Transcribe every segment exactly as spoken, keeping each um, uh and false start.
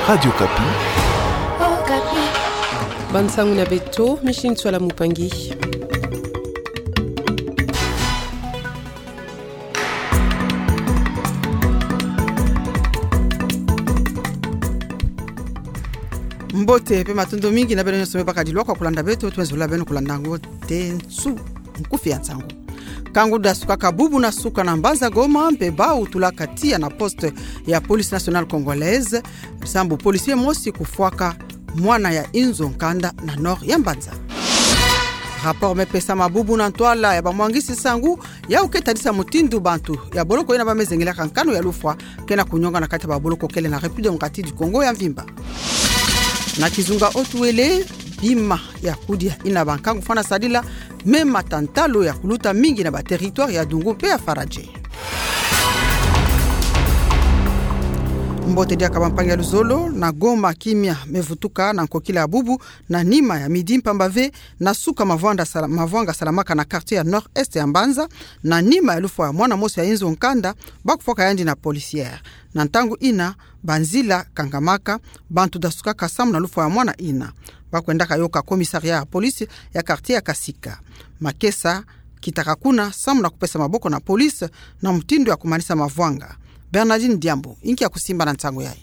Radio Okapi. Okapi. Bansangu na beto, Micheline Tswala Mupangi. Mbote mpe matondo mingi na beno nyonso me baka dilwa kwa kulanda beto, twenzula beno kulanda ngo te nsu nkufi ya nsangu. Nkangu dasukaka bubu na suka na mbanza Goma, mpe bau tulaka tiya na poste ya Police Nationale Congolaise, sambu policier mosi kufwaka mwana ya inzo nkanda na nord ya mbanza. Rapport me pesama bubu na ntwala ya bamwangisi nsangu, yau ke tadisa mutindu bantu ya boloko yina ba me zengelaka nkanu ya lufwa ke na kunyonga na kati ya baboloko kele na République Démocratique du Congo ya mvimba. Na kizunga Haut-Uélé, bima ya kudia yina bankangu fwana sadila, me mata ntalo ya kuluta mingi na ba territoire ya Dungu mpe ya Faradje. Mbote diaka bampangi ya luzolo, na Goma kimia me vutuka na nkokila ya bubu, na nima ya midi mpamba ve, na suka mavwanda sala-, mavwanga salamaka na quartier ya nord-est ya mbanza, na nima ya lufwa ya mwana mosi ya inzo nkanda, ba kufwaka yandi na policière. Na ntangu yina, banzila kangamaka, bantu dasukaka samu na lufwa ya mwana yina. Ba kwendaka yoka commissariat ya police ya quartier ya Kasika. Makesa kitaka kuna samu na kupesa maboko na police na mutindu ya kumanisa mavwanga. Bernardine Diambu, inki ya kusimba na nsangu yayi.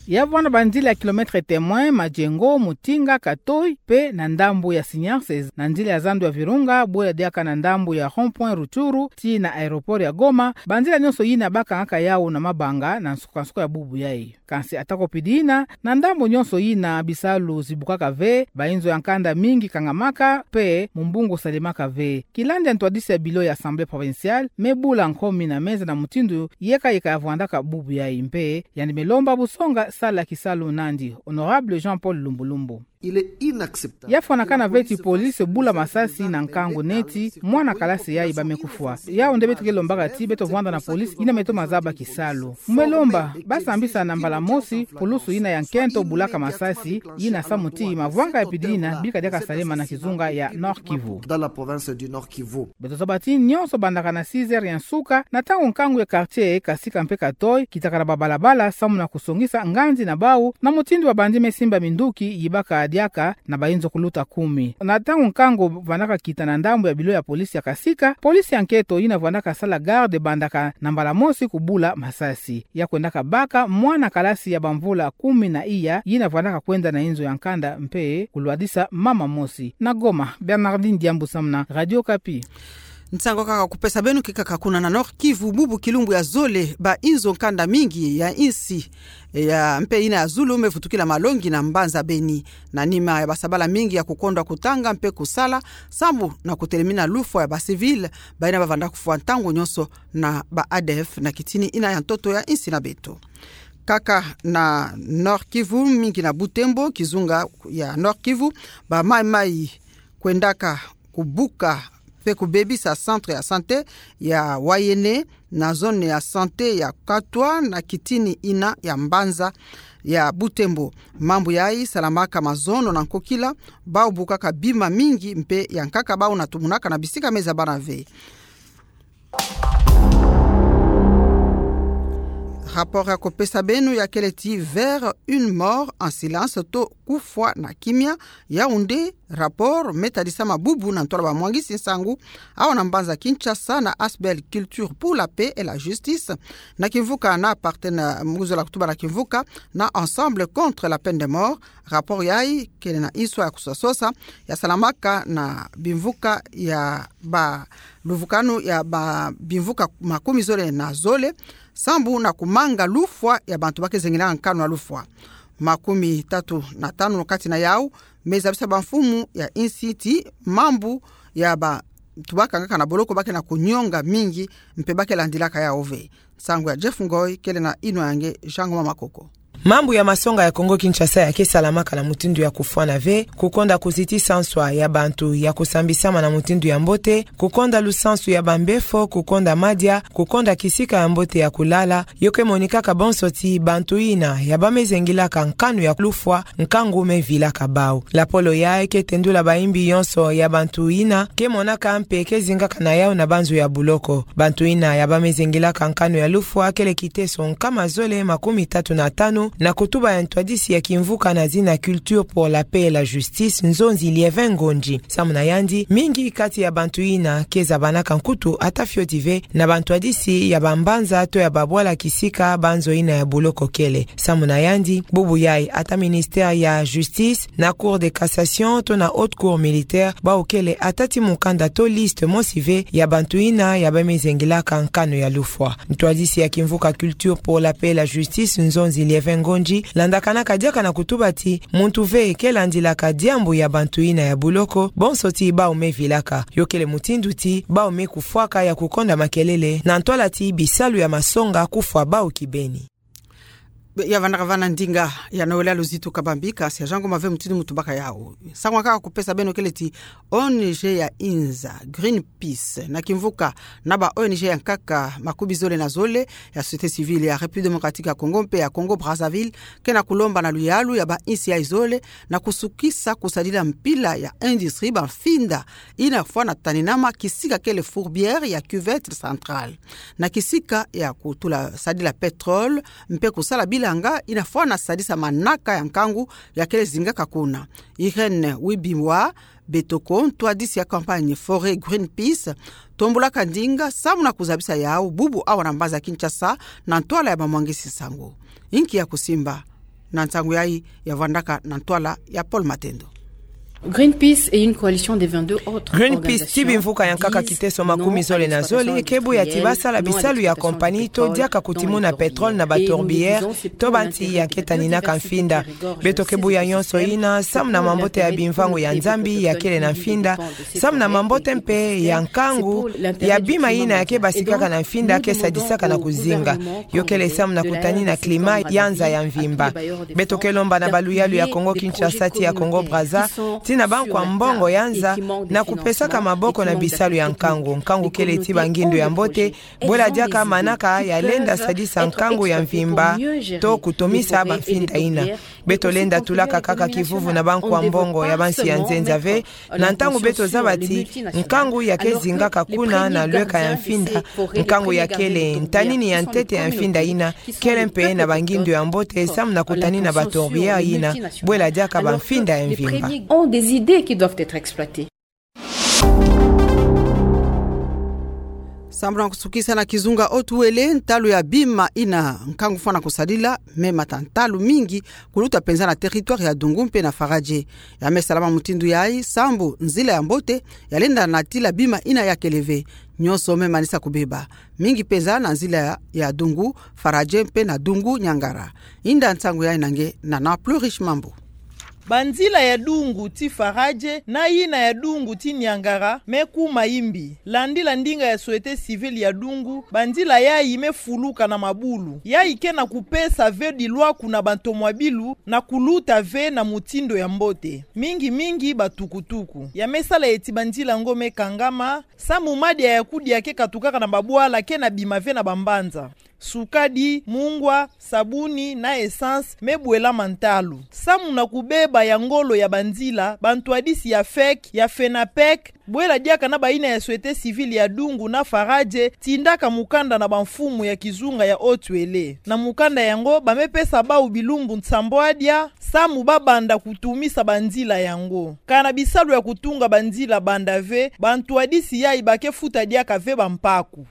Ya vwanda banzila ya kilomètre témoin, Majengo, Mutinga, Katoi, mpe na ndambu ya Sinyanses, na nzila ya zandu ya Virunga, bwe ya diaka na ndambu ya rond-point Rutshuru, tii na aéroport ya Goma, banzila nyonso yina ba kangaka yau na mabanga na nsuka-nsuka ya bubu yayi. Kansi atako pidi yina, na ndambu nyonso yina bisalu zibukaka ve, bainzo ya nkanda mingi kangamaka, mpe mumbungu salemaka ve. Kilandi ya ntwadisi ya bilo ya Assemblée provinciale, me bula nkomi na meza na mutindu yeka-yeka ya vwandaka bubu yayi mpe, yandi me lomba busonga sala kisalu nandi, Honorable Jean-Paul Lumbu Lumbu. Il est inacceptable. Ya fwanakana ve ti police bula masasi na nkangu neti mwana kalasi yayi ba me kufwa. Yau nde beto ke lombaka ti beto vwanda na police yina me toma zaba kisalu. Mu me lomba ba sambisa na mbala mosi pulusu yina ya nkento bulaka masasi yina samu ti mavwanga ya pidi yina bika diaka salema na kizunga ya Nord-Kivu. Dans la province du Nord-Kivu. Beto zaba ti nyonso bandaka na six heures ya nsuka, na ntangu nkangu ya quartier Kasika mpe Katoi kitaka na babalabala samu na kusongisa nganzi na bau, na mutindu babandi me simba minduki yibaka diaka na bainzo kuluta kumi. Na ntangu nkangu vandaka kita na ndambu ya bilo ya police ya Kasika, police ya nkento yina vandaka sala garde bandaka na mbala mosi kubula masasi. Ya kwendaka baka mwana kalasi ya bamvula kumi na iya, yina vandaka kwenda na inzo ya nkanda mpe kulwadisa mama mosi. Na Goma, Bernardine Diambu samu na Radio Okapi. Nsangu kaka kupesa beno ke kaka kuna na Nord-Kivu, bubu kilumbu ya zole, bainzo nkanda mingi ya insi ya mpe yina ya zulu me vutukila malongi na mbanza Beni. Na nima ya basabala mingi ya kukondwa kutanga mpe kusala, sambu na kutelemina lufwa ya ba civil, bayina bavanda kufwa ntangu nyonso na ba A D F na kitini yina ya ntoto ya insi na beto. Kaka na Nord-Kivu, mingi na Butembo, kizunga ya Nord-Kivu, ba maï-maï kwendaka kubuka mpe kubebisa centre ya santé ya Wayene, na zone ya santé ya Katwa, na kitini yina ya mbanza ya Butembo. Mambu yayi salamaka mazono na nkokila, bau bukaka bima mingi mpe ya nkaka bau na tumunaka na bisika me zabana ve. Rapport ya kupesa beno ya kele ti vers une mort en silence, to kufwa na kimia. Yaoundé, rapport me tadisama bubu na ntwala bamwangisi nsangu awa na mbanza Kinshasa na Asbl Culture pour la Paix et la Justice, na kimvuka na partena-, mu kuzola kutuba na kimvuka na Ensemble contre la peine de mort. Rapport yayi kele na inswa ya kusosa-sosa, ya salamaka na bimvuka ya ba luvukanu ya ba bimvuka makumi zole na zole, sambu na kumanga lufwa ya bantu ba ke zengelaka nkanu ya lufwa. Makumi tatu na tanu kati na yau me zabisa bamfumu ya insi ti mambu ya bantu ba kangaka na boloko ba ke na kunyonga mingi mpe ba ke landilaka yau ve. Nsangu ya Jeff Ngoy, kele na inwa ya nge Jean Ngoma Makoko. Mambu ya masonga ya Kongo Kinshasa ya ke salamaka na mutindu ya kufwana ve, kukonda kuzitisa nswa ya bantu ya kusambisama na mutindu ya mbote, kukonda lusansu ya bambefo, kukonda madia, kukonda kisika ya mbote ya kulala, yo ke monikaka bonso ti bantu yina ya ba me zengilaka nkanu ya lufwa, nkangu me vilaka bau. Lapolo yayi ke tendula bayimbi yonso ya bantu yina ke monaka mpe ke zingaka na yau na banzo ya buloko. Bantu yina ya ba me zengilaka nkanu ya lufwa kele kiteso nkama zole makumi tatu na tanu, Na kutuba ya ntwadisi ya kimvuka na zina Culture pour la Paix et la Justice, Nzonzi Liévin Ngondji, samu na yandi, mingi kati ya bantu yina ke zabanaka nkutu ata fioti ve na bantwadisi ya bambanza to ya babwala kisika banzo yina ya buloko kele. Samu na yandi, bubu yayi ata ministère ya Justice, na Cour de cassation to na Haute Cour militaire, bawu kele ata ti mukanda to liste mosi ve ya bantu yina ya bamezengilaka nkanu ya lufwa. Ntwadisi ya kimvuka Culture pour la Paix et la Justice, Nzonzi Liévin Ngondji, landakanaka diaka na kutuba ti muntu ve ke landilaka diambu ya bantu yina ya buloko, bonso ti bawu me vilaka. Yo kele mutindu ti bawu me kufwaka ya kukonda makelele, na ntwala ti bisalu ya masonga kufwa bawu kibeni. Be, ya vandaka va na ndinga ya Noëlla Luzitu Kabambi, kasi ya Jean Ngoma ve mutindu mu tubaka yawu. Nsangu kaka kupesa beno kele ti O N G ya inza, Greenpeace, na kimvuka na ba O N G ya nkaka makumi zole na zole ya société civile ya République démocratique ya Congo mpe ya Congo-Brazzaville, ke na kulomba na luyalu ya bainsi yayi zole na kusukisa kusadila mpila ya industrie bamfinda yina fwana taninama kisika kele fourbière ya Cuvette Centrale, na kisika ya kutula sadila pétrole, mpe kusala bilanga yina fwana sadisa manaka ya nkangu ya kele zingaka kuna. Irène Wibimwa Betoko, ntwadisi ya campagne Forer Greenpeace, tombolaka ndinga samu na kuzabisa yawu bubu awa na mbanza Kinshasa, na ntwala ya bamwangisi nsangu. Inki ya kusimba na nsangu yayi? Ya vandaka na ntwala ya Paul Matendo. Greenpeace et une coalition de vingt-deux autres Greenpeace ti bimvuka ya nkaka kiteso makumi zole na zole ke buya ti basala bisalu ya compagnie to diaka kutimuna pétrole na batourbière to bansi ya ke taninaka mfinda. Beto ke buya nyonso yina samu na mambote ya bimvangu ya Nzambi ya kele na mfinda, samu na mambote mpe ya nkangu ya bima yina ya ke basikaka na mfinda ke sadisaka na kuzinga. Yo kele samu na kutanina climat ya nza ya mvimba. Beto ke lomba na baluyalu ya Congo-Kinshasa ti ya Congo-Brazza, ti na bankwa mbongo ya nza, na kupesaka maboko na bisalu ya nkangu. Nkangu kele ti bangindu ya mbote, bwela diaka manaka ya lenda sadisa nkangu ya mvimba to kutomisa bamfinda yina. Beto lenda tulaka kaka kivuvu na bankwa mbongo ya bansi ya nzenza ve, na ntangu beto zaba ti nkangu ya ke zingaka kuna na lweka ya mfinda, nkangu ya kele ntanini ya ntete ya mfinda yina, kele mpe na bangindu ya mbote samu na kutanina batourbière yina, bwela diaka bamfinda ya mvimba. Ont des idées qui doivent être exploitées. Samu na kusukisa na kizunga Haut-Uélé, ntalu ya bima yina nkangu fwana kusadila me mata ntalu mingi kuluta penza na territoire ya Dungu mpe na Faradje. Ya me salama mutindu yayi sambu nzila ya mbote ya lenda natila bima yina ya kele ve. Nyonso me manisa kubeba, mingi penza na nzila ya, ya Dungu Faradje mpe na Dungu Niangara. Inda nsangu yayi na nge na na Plus Riche Mambu. Banzila ya Dungu ti Faradje na yina ya Dungu ti Niangara me kuma imbi. Landila ndinga ya société civile ya Dungu, banzila yayi me fuluka na mabulu. Yayi ke na kupesa ve dilwaku na bantomwa bilu na kuluta ve na mutindu ya mbote, mingi mingi batukutuku. Ya me sala eti banzila yango me kangama, sambu madia ya kudia ke katukaka na babwala ke na bima ve na bambanza. Sukadi, mungwa, sabuni na essence me bwelama ntalu. Samu na kubeba ya ngolo ya banzila, bantwadisi ya fec, ya fenapec, bwela diaka na bayina ya société civile ya Dungu na Faradje tindaka mukanda na bamfumu ya kizunga ya Haut-Uélé. Na mukanda yango, ba me pesa bawu bilumbu nsambwadia samu babanda kutumisa banzila yango. Kana bisalu ya kutunga banzila banda ve, bantwadisi yayi ba ke futa diaka ve bampaku.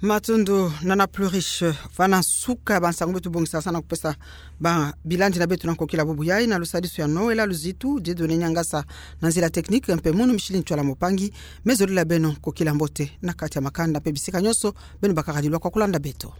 Matondo na na Plus Riche. Va na nsuka ya bansangu beto bongisa sana kupesa ba bilandi na beto na nkokila bubu yayi, na lusadisu ya Noëlla Luzitu, Dieudonné Niangasa na nzila technique, mpe Munu Micheline Ntsoila Mopangi. Me zolila beno nkokila mbote na kati ya makanda mpe bisika nyonso beno bakaka dilwa kwa kulanda beto.